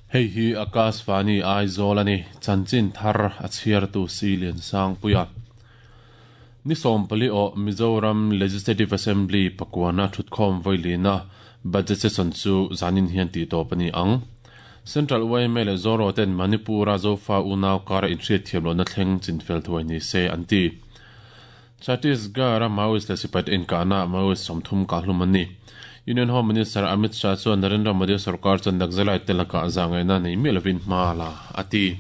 Hei hi Akashvani Aizawl a ni, chanchin thar a chhiartu Si Liansangpuia. Ni 14 aw Mizoram Legislative Assembly pakuana thutkhawm vawilina Budget Session chu zanin hian tih tawp a ni ang. Central yma leh Zoro ten Manipur-a Zofa unau kara inhriatthiam lohna thleng chinfel thuai ni se an ti. Chhattisgarh-a Maoist leh sipaite inkahnaah Maoist 30 kahhlum an ni. Union Home Minister Amit Shah chuan Narendra Modi sorkar chuan Naxalite te lakah zahngaihna nei miah lovin hma a la, a ti.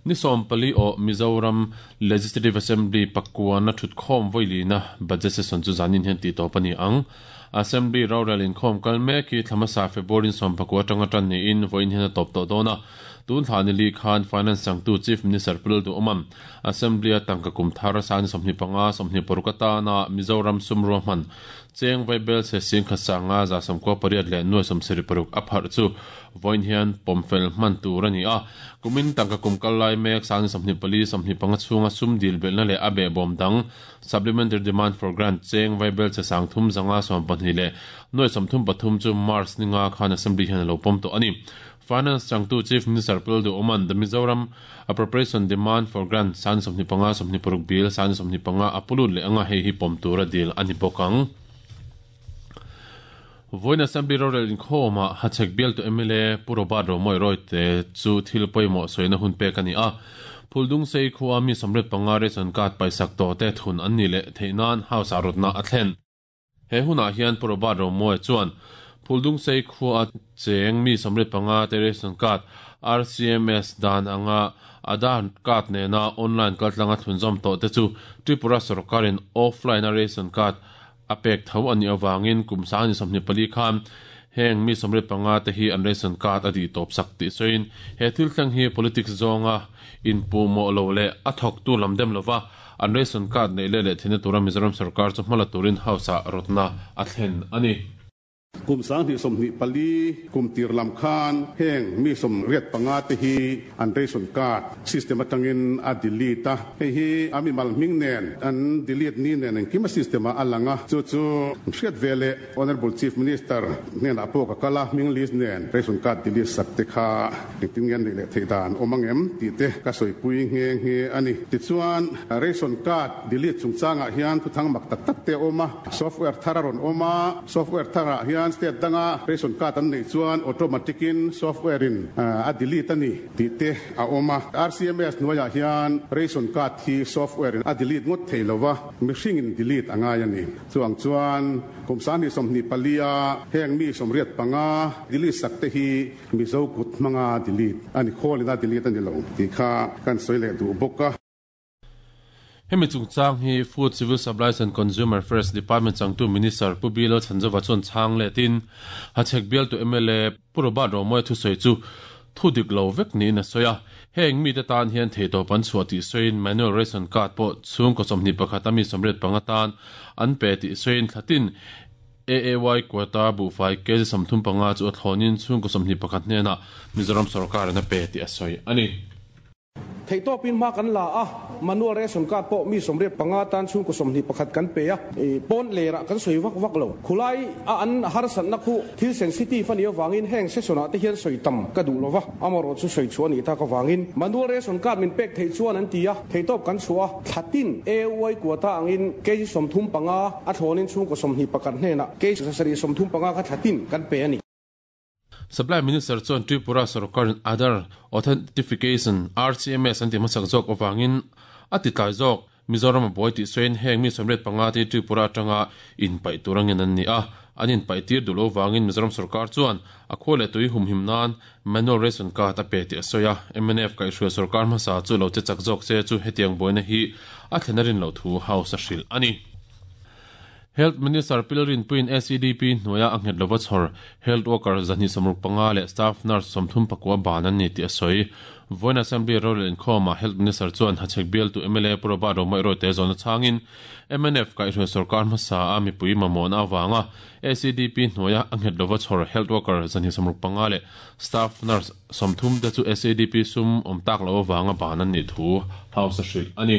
Ni 14 aw Mizoram Legislative Assembly pakuana thutkhawm vawilina Budget Session chu zanin hian tih tawp a ni ang. Assembly rorel inkhawm kal mek hi thla hmasa February 19 atanga tan niin vawiin hian a tawp tawh dawn a. Tun thla ni li khan Finance changtu Chief Minister Pu Lalduhawma'n Assembly-a tangka kum thar sani 25, 26 atana Mizoram sum ruahman cheng vaibel se singkhat sanga 98 leh nuai 76 a pharh chu vawiin hian pawmfel hman tur a ni a. Kumin tangka kum kal lai mek sani 24, 25 chhunga sum dil belhna leh a behbawm dang Supplementary Demand for Grant cheng vaibel che sang thum zanga 12 leh nuai 33 chu March ninga khan Assembly hian a lo pawm tawh a ni. Finance changtu Chief Minister Pu Lalduhoma'n The Mizoram Appropriation Demand for Grant sani 25, 26 Bill sani 25 a pu lut leh anga hei hi pawm tura dil a ni bawk ang. Vawiin Assembly rorel inkhawmah Hachhek bialtu mla Pu Robert Romawih Rawite chu thil pawimawh sawina hun pek a ni a. Phuldungsei khua mi 85 ration card paisak tawhte thun an nih leh theih nan House ah rawtna a thlen. He hunah hian Pu Robert Romawia chuan Phuldungsei khua cheng mi 85 te ration card RCMS dan anga Aadhaar card nena online kaltlanga thlunzawm tawh te chu Tripura sorkarin offline a ration card a pek tho a nih avangin kum 2024 khan heng mi 85 te hi an ration card a dih tawp sak tih sawiin he thil thleng hi politics zawnga inpuhmawh lo leh a thawktu lam dem lova An ration card neih leh leh theihna tura Mizoram sorkar chu hmala turin House-ah rawtna a thlen a ni. Kum 2024 kum tir lam khan heng mi 85 te hi an ration card system atangin a delete a, hei hi a mimal hming nen an delete ni nen engkim a system ah a lang a, chu chu hriat ve leh Honourable Chief Minister hnenah pawh ka kal a, hming list nen ration card delete sak te kha Engtin nge an neih leh theih dan awm ang em tih te ka sawipui nghe nghe a ni. Tichuan, ration card delete chungchangah hian thuthang mak tak tak te a awm a, software thar a rawn awm a, software tharah hian state danga ration card an neih chuan automatic in software in a delete a ni tih te a awm a. RCMS hnuaiah hian ration card hi software in a delete ngawt thei lo va, mihring in delete a ngai a ni. Chuang chuan kum 2024 a heng mi 85 delete sak te hi Mizo kut hmanga delete a ni, khawlina delete a ni lo tih kha kan sawi leh duh bawk a. Hemi chungchang hi Food, Civil Supplies and Consumer Affairs Department changtu Minister Pu Bilal Chhanzova chuan chhang letin Hachhek bialtu mla Pu Robert Romawia thusawi chu thu dik lo vek niin a sawi a. Heng mite tan hian theihtawp an chhuah tih sawiin Manual Ration Card pawh chhungkaw 21 a mi 85 tan an pe tih sawiin thlatin AAY quota buhfai kg 35 chu a thlawnin chhungkaw 21 hnenah Mizoram sorkarin a pe tih a sawi a ni. Theihtawpin hma kan la a, manual ration card pawh mi 85 tan chhungkaw 21 kan pe a, pawn lerah kan sawi vak vak lo. Khulai a an harsatna khu thil sensitive a nih avangin heng session ah te hian sawi tam ka duh lova, amarawh chu sawi chhuah a nih tak avangin manual ration card min pek theih chuan an ti a, theihtawp kan chhuah a. Thla tin AY quota angin kg 35 a thlawnin chhungkaw 21 hnenah kg 735 kha thla tin kan pe a ni. Supply Minister chuan Tripura sorkarin Aadhaar Authentification, RCMS, an ti hmasak zawk avangin a ti tlai zawk. Mizoram a buai tih sawiin heng mi 85 te hi Tripura atanga inpaih tur angin an ni a, an inpaih tir duh lo vangin Mizoram sorkar chuan a khua leh tui humhim nan Manual ration card a pe tih a sawi a, mnf kaihhruai sorkar hmasa chu lo che chak zawk se chu hetiang buaina hi a thlen a rin loh thu House a hrilh a ni. Health Minister Pil Rinpuiin SEDP hnuaia a nghet lova chhawr Health Worker 265 leh Staff Nurse 39 ban an ni tih a sawi. Vawiin Assembly rorel inkhawmah Health Minister chuan Hachhek bialtu mla Pu Robert Romawih Rawite zawhna chhangin mnf kaihhruai sorkar hmasa a mipui mamawhna avanga SEDP hnuaia a nghet lova chhawr Health Worker 265 leh Staff Nurse 30 te chu SEDP sum awm tak loh avanga ban an nih thu House a hrilh a ni.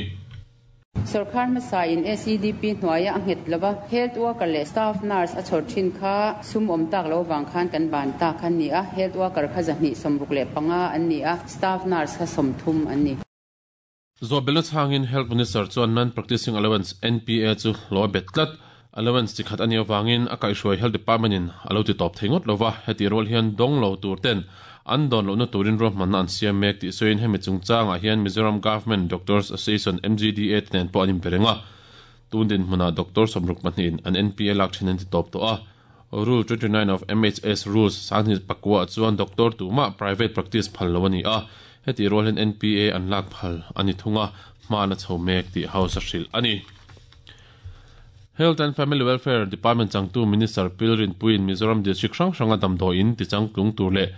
Sorkar hmasa in SEDP hnuaia a nghet lova Health Worker leh Staff Nurse a chhawr thin kha sum awm tak lo vang khan kan ban ta kha an ni a, Health Worker kha 265 an ni a, Staff Nurse kha 30 an ni. Zawhbelna chhangin Health Minister chuan Non-Practicing Allowance, NPA, chu hlawh a bet tlat. Allowance chi khat a nih avangin a kaihhruai Health Department in a lo ti tawp thei ngawt lova, hetih rual hian dawng lo tur ten an dawn lohna turin ruahmanna an siam mek tih sawiin hemi chungchangah hian Mizoram Government Doctors Association, MGDA, te nen pawh an inbe reng a. Tun dinhmunah doctor 60 pahnihin an NPA lak thin an ti tawp tawh a. Rule 29 of MHS Rules 29 ah chuan doctor tumah private practice phal lo a ni a, hetih rual hian NPA an lak phal a ni thung a, hma an a chho mek tih House a hrilh a ni. Health and Family Welfare Department changtu Minister Pil Rinpuiin Mizoram District hrang hranga damdawiin tichangtlung tur leh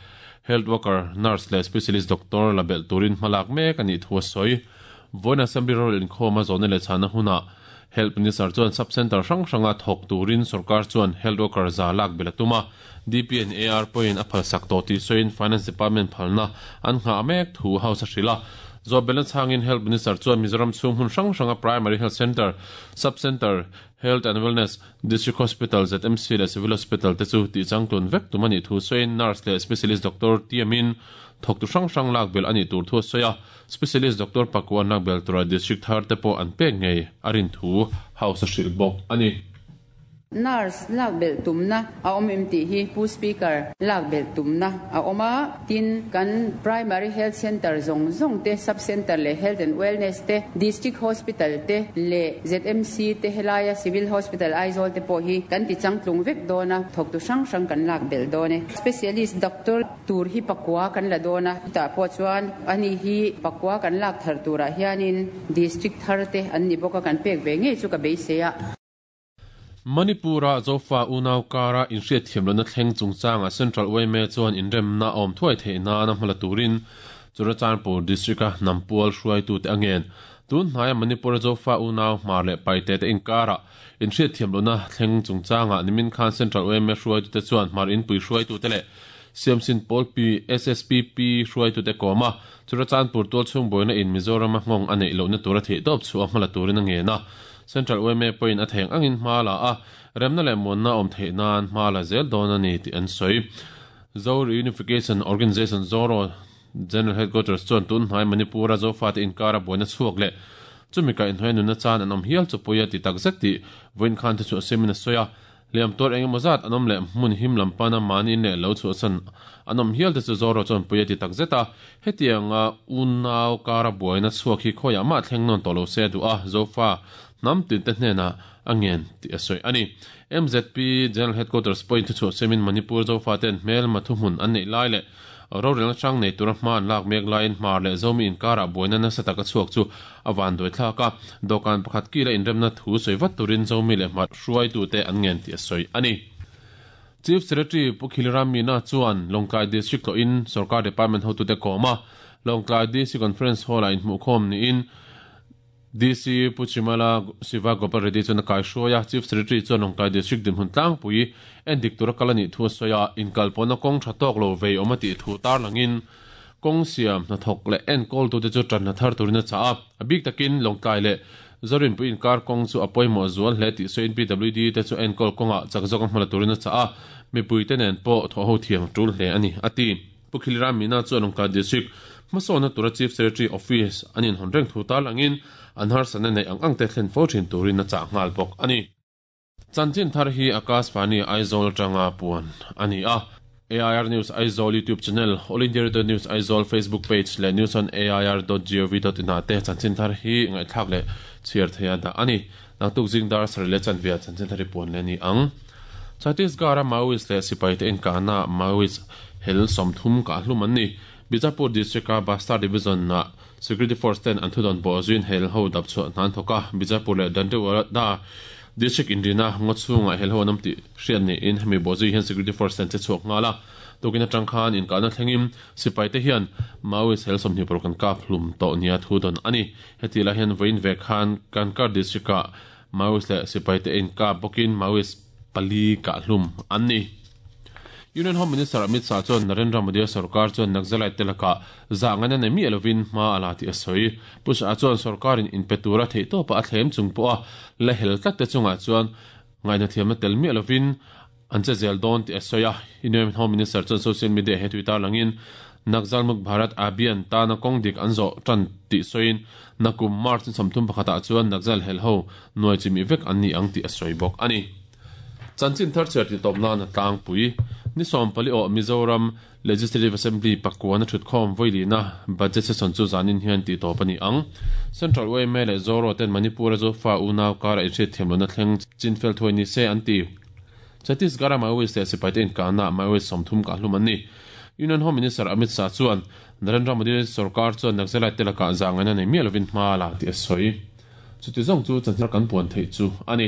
Health Worker, Nurse leh Specialist Doctor la belh turin hmalak mek a nih thu a sawi. Vawiin Assembly rorel inkhawm a zawhna leh chhahna hunah Health Minister chuan Sub Centre hrang hranga thawk turin sorkar chuan Health Worker za lak belh a tum a, DP and AR pawhin a phalsak tawh tih sawiin Finance Department phalna an nghah mek thu House a hrilh a. Zawh belhna chhangin Health Minister chuan Mizoram chhung hmun hrang hranga Primary Health Centre, Sub Centre, Health and Wellness, District Hospital, ZMC leh Civil Hospital te chu tihchangtlun vek tum a nih thu sawiin Nurse leh Specialist Doctor tiamin thawktu hrang hrang lak belh a nih tur thu a sawi a. Specialist Doctor Pakua nak bel tura District thar te pawh an pek ngei a rin thu House a hrilh bawk a ni. Nurse lak belh tumna a awm em tih hi Pu Speaker, lak belh tumna a awm a, tin kan Primary Health Centre zawng zawng te, Sub Centre leh Health and Wellness te, District Hospital te leh ZMC te helaia Civil Hospital Aizawl te pawh hi kan ti changtlung vek dawn a, thawktu hrang hrang kan lak belh dawn e. Specialist Doctor. Tur hi pakua kan la dawn a, chutah pawh chuan ani hi pakua kan lak thar turah hianin District thar te an ni bawk a, kan pek ve ngei chu ka beisei a. Manipur-a Zofa unau kara inhriatthiam lohna thleng chungchangah Central yma chuan inremna a awm thuai theih nan a hmala turin Churachandpur District-a hnampual hruaitute a ngen. Tun hnaia Manipur-a Zofa unau hmar leh paite te inkarah Inhriatthiam lohna thleng chungchangah nimin khan Central yma hruaitute chuan Hmar Inpui hruaitute leh Siamsin Pawl Pi, SSPP, hruaitute kawm a, Churachandpur tualchhung buaina in Mizorama nghawng a neih lohna tura theihtawp chhuah a hmala turin a ngen a. Central yma pawhin a theng angin hma la a, remna leh muanna awm theih nan hma la zel dawn a ni tih an sawi. Zo Reunification Organisation, ZORO, General Headquarters chuan tun hnai Manipur-a Zofate inkara buaina chhuak leh chumi kaihhnawih nunna chan an awm hial chu pawi a ti tak zet tih vawiin khan thu chhuah siamin a sawi a. Hliam tuar eng emaw zat an awm leh hmun him lam pana mahni in leh lo chhuahsan an awm hial te chu Zoro chuan pawi a ti tak zet a. Hetianga unau kara buaina chhuak hi khawiah mah thleng nawn tawh lo se a duh a, Zofa hnam tinte hnenah a ngen tih a sawi a ni. MZP General Headquarters pawhin thu chhuah siamin Manipur Zofaten hmelma thuhmun an neih lai leh Rorelna hrang nei tura hma an lak mek laiin Hmar leh Zomi inkarah buaina nasa taka chhuak chu a van duai thlak a, dawhkan pakhat kila inremna thu sawi vat turin Zomi leh Hmar hruaitute an ngen tih a sawi a ni. Chief Secretary Pu Khilram Meena chuan Lawngtlai District tlawhin Sorkar Department hotute kawm a, Lawngtlai DC Conference Hall-ah inhmuhkhawm niin DC Pu Chimala Siva Gopal Reddy chuan a kaihruai a, Chief Secretary chuan Lawngtlai District dinhmun tlangpui endik tura kal a nih thu a sawi a, inkalpawhna kawng tha tawk lo vei awm a tih thu tarlangin kawng siam hnathawk leh enkawltute chu tanhna thar turin a chah a, a bik takin Lawngtlai leh Zorinpui inkar kawng chu a pawimawh zual hle tih sawiin PWD te chu enkawl kawngah chak zawk a hmala turin a chah a, mipuite nen pawh thawhho thiam a tul hle a ni, a ti. Pu Khilram Meena chuan Lawngtlai District hmasawnna tura Chief Secretary Office an inhawn reng thu tarlangin an harsatna neih ang ang te thlen fo thin turin a chah nghal bawk a ni. Chanchin thar hi Akashvani Aizawl atanga puan a ni a. AIR News Aizawl YouTube channel, All India Radio News Aizawl Facebook page leh news on air dot gov dot in ah te chanchin thar hi ngaihthlak leh chhiar theia dah a ni. Naktuk zing dar sarih leh chanve ah chanchin thar hi puan leh a ni ang. Chhattisgarh-a Maoist leh sipaite inkahnaah Maoist hel 30 kah hlum an ni. Bijapur District-a Bastar Division-ah Security Force ten an thudawn pawh zuiin hel ho dap chhuah hna an thawk a. Bijapur leh Dantewada District inrina ngaw chhungah hel ho an awm tih hriat niin hemi bawhzui hian Security Force ten che chhuak nghal a. Tukin atang khan inkahna thlengin sipaite hian Maoist hel 26 an kap hlum tawh nia thudawn a ni. Heti lai hian vawiin ve khan Kanker District-ah Maoist leh sipaite inkap bawkin Maoist pali kah hlum an ni. Union Home Minister Amit Shah chuan Narendra Modi-a sorkar chuan Naxalite te lakah zah ngaina nei miah lovin hma a la tih a sawi. Pu Shah chuan sorkarin inpe tura theihtawpa a thlem chung pawha la hel tlat te chungah chuan ngaihnathiamna tel miah lovin an che zel dawn tih a sawi a. Union Home Minister chuan social media he tui tarlangin Naxal Muk Bharat Abhiyan tana kawng dik an zawh tan tih sawiin nakum March ni 31 ah chuan Naxal helho nuai chimih vek an ni ang tih a sawi bawk a ni. Chanchin thar chhiar tih tawp nan a tlangpui. Ni 14 awh Mizoram Legislative Assembly pakuan a thutkhawm vawilihna Budget Session chu zanin hian tih tawp a ni ang. Central yma leh Zoro ten Manipur-a Zofa unau kara inhriatthiam lohna thleng chinfel thuai ni se an ti. Chhattisgarh-a Maoist leh sipaite inkahnaah Maoist 30 kahhlum an ni. Union Home Minister Amit Shah chuan Narendra Modi sorkar chuan Naxalite te lakah zahngaihna nei miah lovin hma a la tih a sawi. Chuti zawng chu chanchin kan puan theih chu a ni.